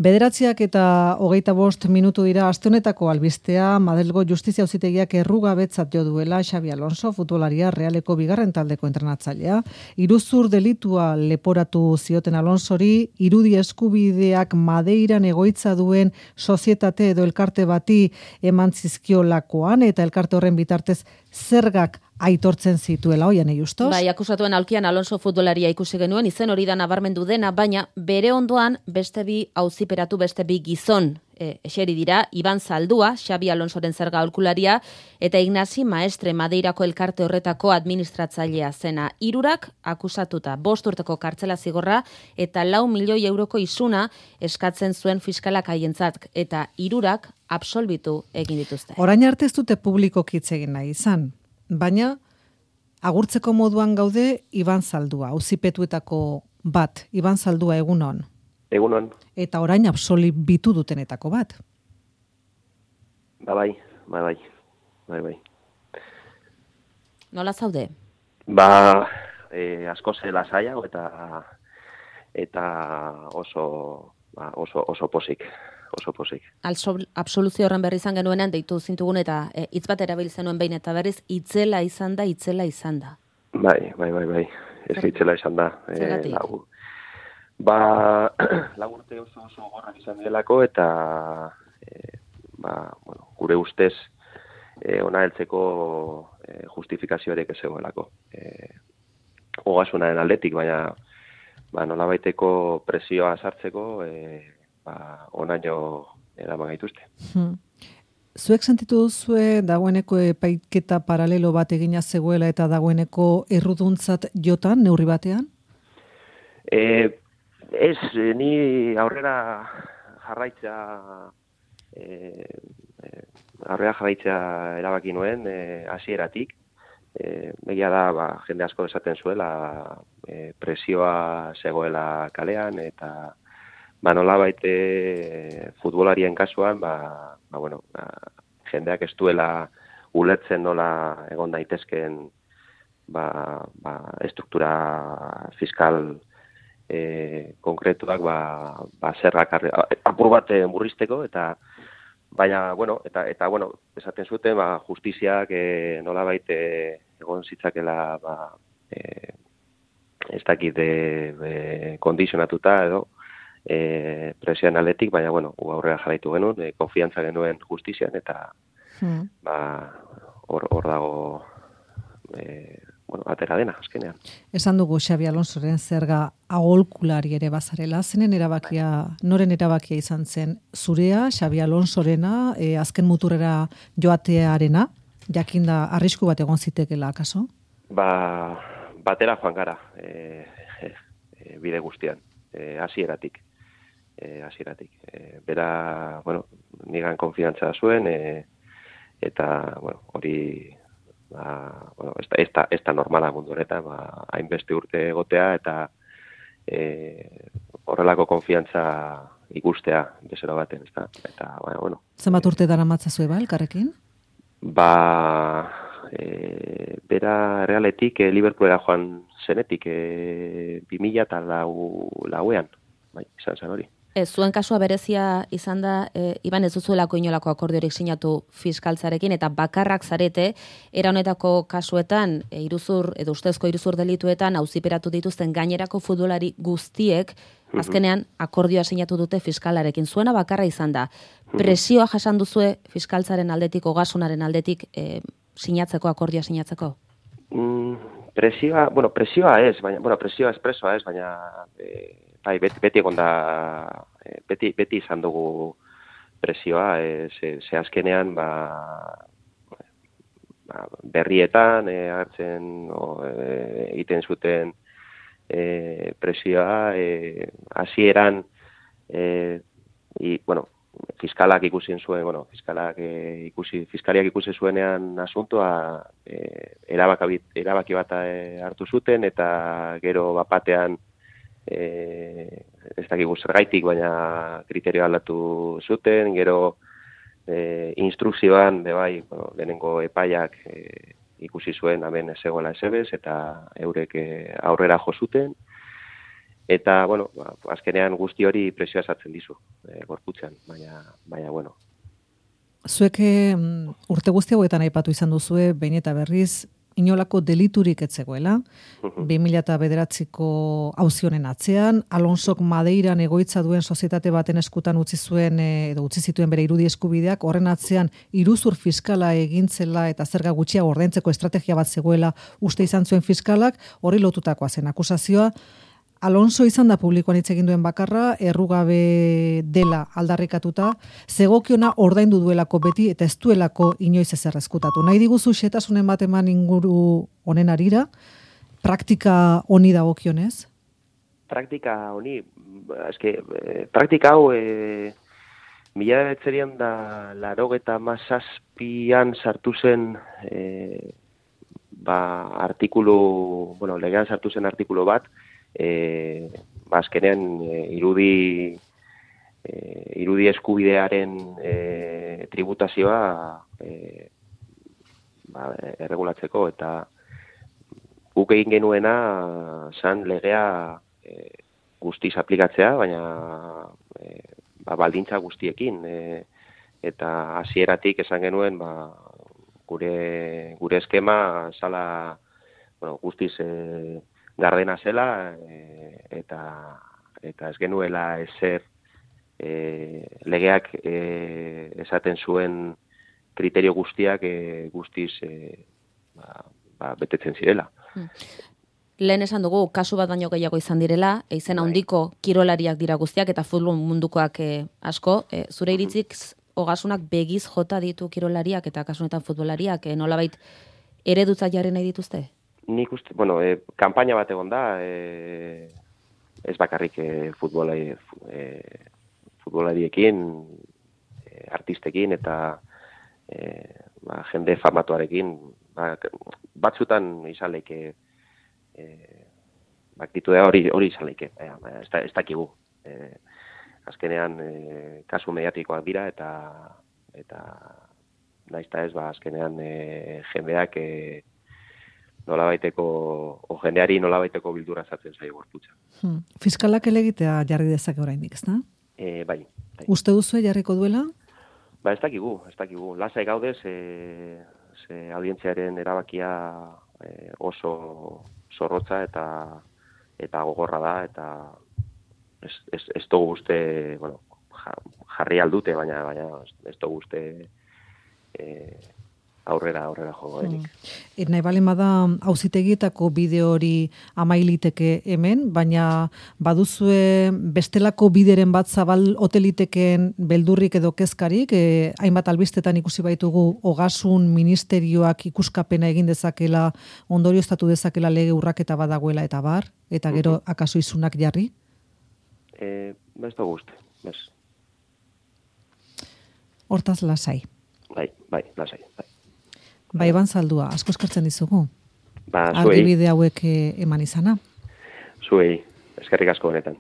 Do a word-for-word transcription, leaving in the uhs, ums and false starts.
Bederatziak eta hogeita bost minutu dira aste honetako albistea. Madrilgo Justizia Auzitegiak errugabetzat jo duela Xabi Alonso, futbolaria Realeko bigarren taldeko entrenatzailea. Iruzur delitua leporatu zioten Alonsori, irudi eskubideak Madeiran egoitza duen sozietate edo elkarte bati eman zizkiolakoan, eta elkarte horren bitartez zergak aitortzen zituela, oian justos. Bai, akusatuen aulkian Alonso futbolaria ikusi genuen, izen hori da nabarmendu dena, baina bere ondoan beste bi auziperatu beste bi gizon e, eseri dira, Iban Zaldua, Xabi Alonsoren zerga aholkularia, eta Ignasi Maestre Madeirako elkarte horretako administratzailea zena. Hirurak akusatuta, bost urteko kartzela zigorra eta lau milioi euroko isuna eskatzen zuen fiskalak haientzat, eta hirurak absolbitu egin dituzte. Orain arte ez dute publikoki hitz egin nahi izan. Baina, agurtzeko moduan gaude Iban Zaldua, auzipetuetako bat, Iban Zaldua egunon. Egunon. Eta orain absolbitu dutenetako bat. Ba bai, ba bai, bai, bai. Nola zaude? Ba, e, asko zela zaiago eta eta oso, ba, oso, oso posik. oso posik. Absoluzio horren berri izan genuenean deitu zintugun eta e, hitz bat erabiltzen nuen behin eta berriz itzela izan da, itzela izan da. Bai, bai, bai, bai. Ez itzela izan da. Zergatik? E, ba, lagurte oso oso gorrak izan delako eta e, ba, bueno, gure ustez e, ona heltzeko e, justifikazioarek ez zegoelako. E, Ogasunaren aldetik, baina ba, nolabaiteko presioa sartzeko e, ba, onaino eraman gaituzte. Hmm. Zuek sentitu duzue dagoeneko epaiketa paralelo bat egina zegoela eta dagoeneko erruduntzat jotan, neurri batean? E, ez, ni aurrera jarraitza e, e, aurrera jarraitza erabaki nuen e, hasieratik. E, begia da, ba, jende asko esaten zuela e, presioa zegoela kalean eta ba, nolabait e, futbolarien kasuan, ba, ba, bueno, ba, jendeak ez duela ulertzen nola egon daitezkeen ba, ba, estruktura fiskal e, konkretuak ba, ba, zerrak apur bat murrizteko, eta baina, bueno, eta, eta bueno, esaten zuten, ba, justiziak e, nolabait e, egon zitzakela ba, e, ez dakit e, e, kondizionatuta edo, E, presioan aletik, baina, bueno, aurrera jarraitu genuen, e, konfiantza genuen justizian, eta hmm. ba, hor, hor dago e, bueno, atera dena, azkenean. Esan dugu Xabi Alonsoren zerga aholkulari ere bazarela, zenen erabakia, noren erabakia izan zen, zurea, Xabi Alonsorena, e, azken muturrera joatearena, jakinda arrisku bat egon zitekela, akaso? Ba, batera joan gara, e, e, bide guztian, e, hasieratik. E, hasieratik. E, bera, bueno, nigan konfiantza zuen, e, eta, bueno, hori, ba, bueno, ez da, ez da, ez da normala mundu honetan, ba, hainbeste urte egotea, eta e, horrelako konfiantza ikustea bezero baten, ez da, eta, ba, bueno. Zenbat urte dara matzazue ba, elkarrekin? Ba, e, bera Realetik, e, Liverpoolera joan zenetik, e, bi mila eta lau, lauean, bai, izan zen hori. Ez, zuen kasua berezia izan da, e, Iban ez duzuelako inolako akordiorik sinatu fiskaltzarekin, eta bakarrak zarete, era honetako kasuetan, e, iruzur, edo ustezko iruzur delituetan, auziperatu dituzten gainerako futbolari guztiek, azkenean akordioa sinatu dute fiskalarekin. Zuena bakarra izan da. Presioa jasan duzue fiskaltzaren aldetik, ogasunaren aldetik, e, sinatzeko, akordioa sinatzeko? Mm, presioa, bueno, presioa ez, baina, bueno, presioa espresoa ez, baina... E... Bai, beti, beti egon da, beti, beti izan dugu presioa, e, ze, ze azkenean ba, ba, berrietan e, hartzen o, e, egiten zuten e, presioa, e, hasieran e, i, bueno, fiskalak ikusi zuen, bueno, fiskalak e, ikusi, fiskaliak ikusi zuenean asuntoa e, erabaki, erabaki bat e, hartu zuten, eta gero bapatean E, ez dakigu zergaitik, baina kriterio aldatu zuten, gero e, instrukzioan, de bai, bueno, lehenengo epaiak e, ikusi zuen hemen ez zegoela esebez, eta eurek e, aurrera jo zuten, eta, bueno, ba, azkenean guzti hori presioa sartzen dizu, e, gorputzean, baina, baina, bueno. Zuek um, urte guzti hauetan aipatu izan duzue, behin eta berriz, inolako deliturik etzegoela, bi mila bederatziko auzionen atzean, Alonsok Madeiran egoitza duen sozietate baten eskutan utzi zuen, edo utzi zituen bere irudi eskubideak, horren atzean iruzur fiskala egintzela eta zerga gutxia ordaintzeko estrategia bat zegoela uste izan zuen fiskalak, hori lotutakoa zen akusazioa. Alonso izan da publikoan hitz egin duen bakarra, errugabe dela aldarrikatuta, zegokiona ordaindu duelako beti eta ez duelako inoiz ezer ezkutatu. Nahi diguzu xetasunen bat eman inguru honen arira, praktika honi dagokionez? Praktika honi, eske, praktika hau, e, mila bederatzizero da laurogeta hamazazpian sartu zen, e, ba, artikulu, bueno, legean sartu zen artikulu bat, E, ba, azkenean e, irudi e, irudi eskubidearen e, tributazioa e, ba, erregulatzeko, eta guk egin genuena zan legea e, guztiz aplikatzea, baina e, ba, baldintza guztiekin, e, eta hasieratik esan genuen ba, gure, gure eskema zala, bueno, guztiz e, gardena zela, e, eta eta ez genuela ezer e, legeak e, esaten zuen kriterio guztiak e, guztiz e, ba, ba, betetzen zirela. Hmm. Lehen esan dugu, kasu bat baino gehiago izan direla, eizen handiko kirolariak dira guztiak eta futbol mundukoak e, asko. E, zure iritzik ogasunak begiz jota ditu kirolariak eta kasunetan futbolariak, e, nolabait eredutza jarri nahi dituzte? Nik uste, bueno, e, kanpaina bat egon da, e, ez bakarrik e, futbolari, e, futbolariekin, e, artistekin eta e, ba, jende famatuarekin, ba, batzutan izan leike, e, baktitudea hori hori izan leike, e, ez, da, ez dakigu. E, azkenean e, kasu mediatikoak dira eta eta naizta ez, ba, azkenean e, jendeak e, nolabaiteko, o jendeari nolabaiteko bildura zatzen zaio gorputza. Hmm. Fiskalak elegitea jarri dezake oraindik, ezta? E, bai, bai. Uste duzu jarriko duela? Ba, ez dakigu, ez dakigu. Lasai gaude, ze, ze audientziaren erabakia e, oso zorrotza eta eta gogorra da, eta ez, ez, ez dugu uste, bueno, jarri aldute, baina, baina ez dugu uste e, aurrera, aurrera jogo denik. Hmm. Nahi balen bada auzitegietako bideo hori amailiteke hemen, baina baduzue bestelako bideren bat zabal hoteliteken beldurrik edo kezkarik, eh, hainbat albistetan ikusi baitugu ogasun ministerioak ikuskapena egin dezakela, ondorioztatu dezakela lege urraketa badagoela eta bar, eta gero mm-hmm. akaso izunak jarri? Eh, ez dugu uste, bez. Hortaz lasai. Bai, bai, lasai, bai. Bai, Iban Zaldua, asko eskertzen dizugu. Ba, zuei. Argibide hauek eman izana. Zuei, eskerrik asko honetan.